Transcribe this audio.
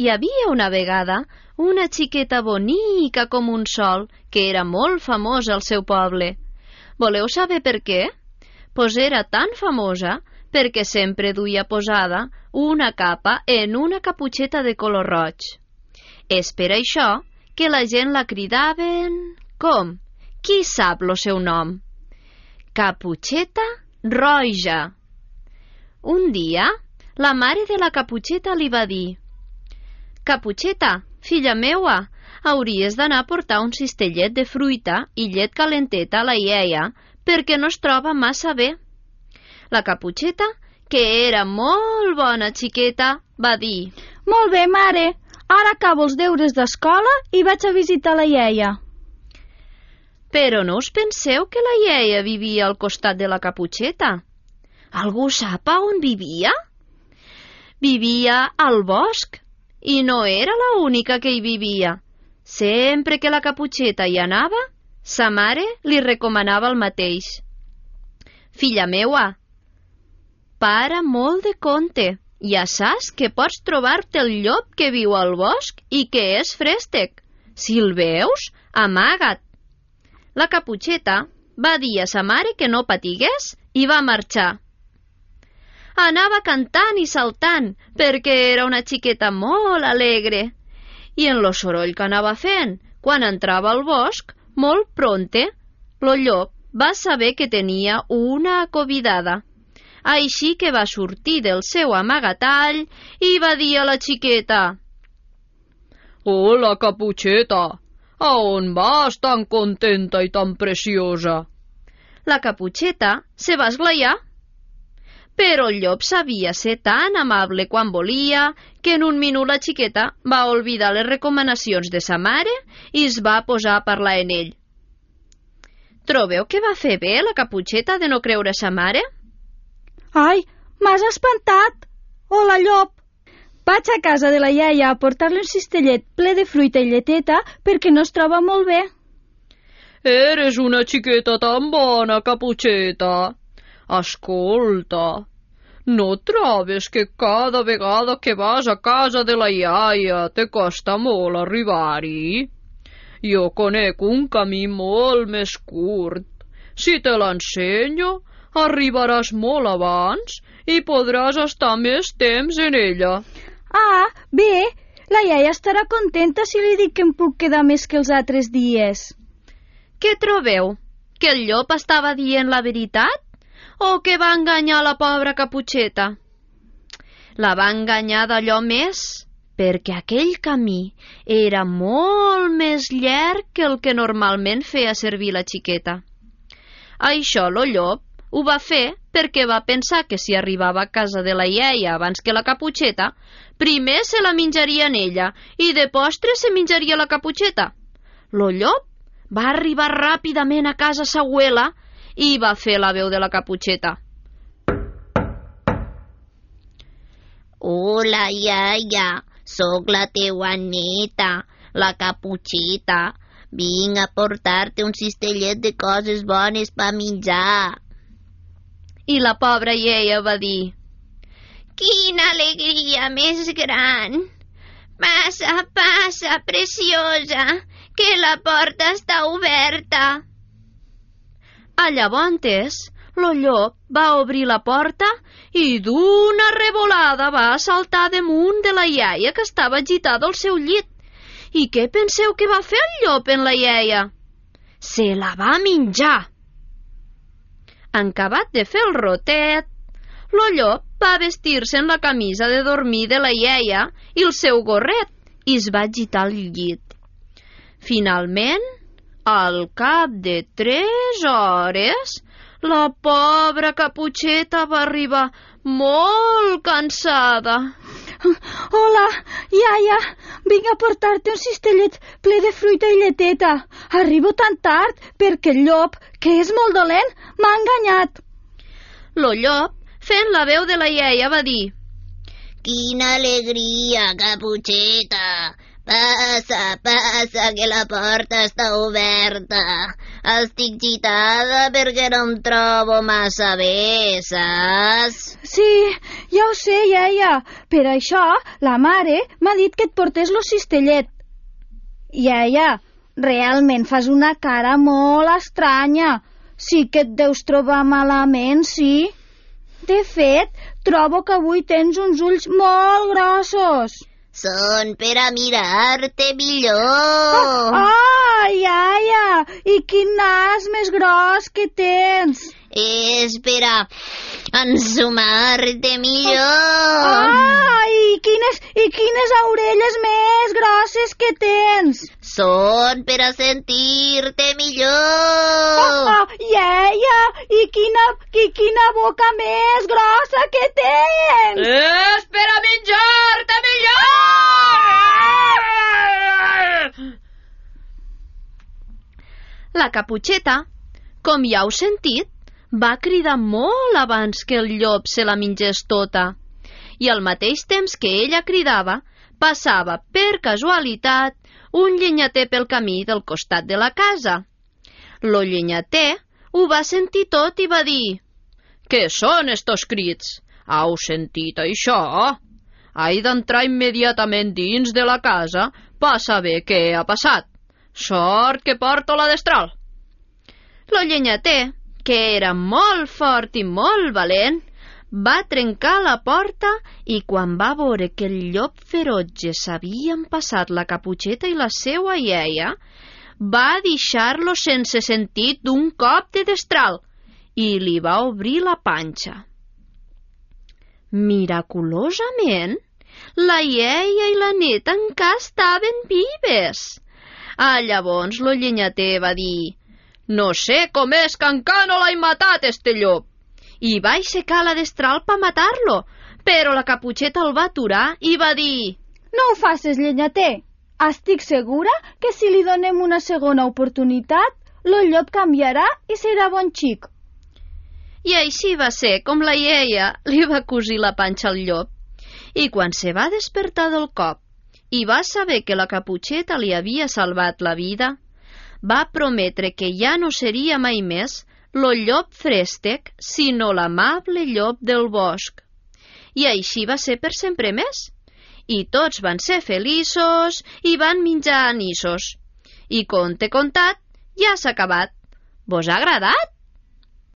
Hi havia una vegada una xiqueta bonica com un sol, que era molt famosa al seu poble. Voleu saber per què? Pues era tan famosa perquè sempre duia posada una capa en una caputxeta de color roig. És per això que la gent la cridaven... Com? Qui sap lo seu nom? Caputxeta Roja. Un dia, la mare de la Caputxeta li va dir: «Caputxeta, filla meua, hauries d'anar a portar un cistellet de fruita i llet calenteta a la iaia perquè no es troba massa bé». La Caputxeta, que era molt bona xiqueta, va dir: «Molt bé, mare, ara acabo els deures d'escola i vaig a visitar la iaia». Però no us penseu que la iaia vivia al costat de la Caputxeta? Algú sap on vivia? Vivia al bosc, i no era la única que hi vivia. Sempre que la Caputxeta hi anava, sa mare li recomanava el mateix. «Filla meua, para molt de compte. Ja saps que pots trobar-te el llop que viu al bosc i que és frèstec. Si el veus, amaga't». La Caputxeta va dir a sa mare que no patigués i va marxar. Anava cantant i saltant perquè era una xiqueta molt alegre. I en lo soroll que anava fent, quan entrava al bosc, molt prompte, lo llop va saber que tenia una convidada. Així que va sortir del seu amagatall i va dir a la xiqueta: «Hola, Caputxeta! A on vas tan contenta i tan preciosa?» La Caputxeta se va esglaiar. Però el llop sabia ser tan amable quan volia que en un minut la xiqueta va oblidar les recomanacions de sa mare i es va posar a parlar en ell. Trobeu que va fer bé la Caputxeta de no creure sa mare? «Ai, m'has espantat! Hola, llop! Vaig a casa de la iaia a portar-li un cistellet ple de fruita i lleteta perquè no es troba molt bé». «Eres una xiqueta tan bona, Caputxeta. Escolta, no trobes que cada vegada que vas a casa de la iaia te costa molt arribar-hi? Jo conec un camí molt més curt. Si te l'ensenyo, arribaràs molt abans i podràs estar més temps en ella». «Ah, bé, la iaia estarà contenta si li dic que em puc quedar més que els altres dies». Què trobeu? Que el llop estava dient la veritat? O que va enganyar la pobra Caputxeta? La va enganyar d'allò més, perquè aquell camí era molt més llarg que el que normalment feia servir la xiqueta. Això lo llop ho va fer perquè va pensar que si arribava a casa de la iaia abans que la Caputxeta, primer se la menjaria en ella i de postre se menjaria la Caputxeta. Lo llop va arribar ràpidament a casa sa abuela i va fer la veu de la Caputxeta. «Hola, iaia, sóc la teua neta, la Caputxeta. Vinc a portar-te un cistellet de coses bones per menjar». I la pobra iaia va dir: «Quina alegria més gran! Passa, passa, preciosa, que la porta està oberta». Llavors, lo llop va obrir la porta i d'una revolada va saltar damunt de la iaia que estava agitada al seu llit. I què penseu que va fer el llop en la iaia? Se la va menjar. En acabat de fer el rotet, lo llop va vestir-se en la camisa de dormir de la iaia i el seu gorret i es va agitar al llit. Finalment, al cap de 3 hores, la pobra Caputxeta va arribar molt cansada. «Hola, iaia, vinc a portar-te un cistellet ple de fruita i lleteta. Arribo tan tard perquè el llop, que és molt dolent, m'ha enganyat». Lo llop, fent la veu de la iaia, va dir: «Quina alegria, Caputxeta! Passa, passa, que la porta està oberta. Estic gitada perquè no em trobo massa bé, saps? Sí, ja ho sé, iaia. Per això la mare m'ha dit que et portés lo cistellet. Iaia, realment fas una cara molt estranya. Sí que et deus trobar malament, sí? De fet, trobo que avui tens uns ulls molt grossos. Són per a mirar-te millor. Iaia, i quin nas més gros que tens. És per a ensumar-te millor. I quines orelles més grosses que tens. Són per a sentir-te millor. Iaia, i quina boca més grossa que tens. És per a menjar-te millor! La Caputxeta, com ja heu sentit, va cridar molt abans que el llop se la mengés tota. I al mateix temps que ella cridava, passava, per casualitat, un llenyater pel camí del costat de la casa. Lo llenyater ho va sentir tot i va dir: «Què són estos crits? Heu sentit això? He d'entrar immediatament dins de la casa per saber què ha passat. Sort que porto la destral». Lo llenyater, que era molt fort i molt valent, va trencar la porta i quan va veure que el llop ferotge s'havien passat la Caputxeta i la seua iaia, va deixar-lo sense sentit d'un cop de destral i li va obrir la panxa. Miraculosament, la iaia i la neta encara estaven vives. Llavors lo llenyater va dir: «No sé com és que encara no l'he matat, este llop». I va aixecar la destral per matar-lo, però la Caputxeta el va aturar i va dir: «No ho facis, llenyater. Estic segura que si li donem una segona oportunitat, el llop canviarà i serà bon xic». I així va ser com la iaia li va cosir la panxa al llop. I quan se va despertar del cop i va saber que la Caputxeta li havia salvat la vida, va prometre que ja no seria mai més lo llop frèstec, sinó l'amable llop del bosc. I així va ser per sempre més. I tots van ser feliços i van menjar anissos. I conte contat, ja s'ha acabat. Vos ha agradat?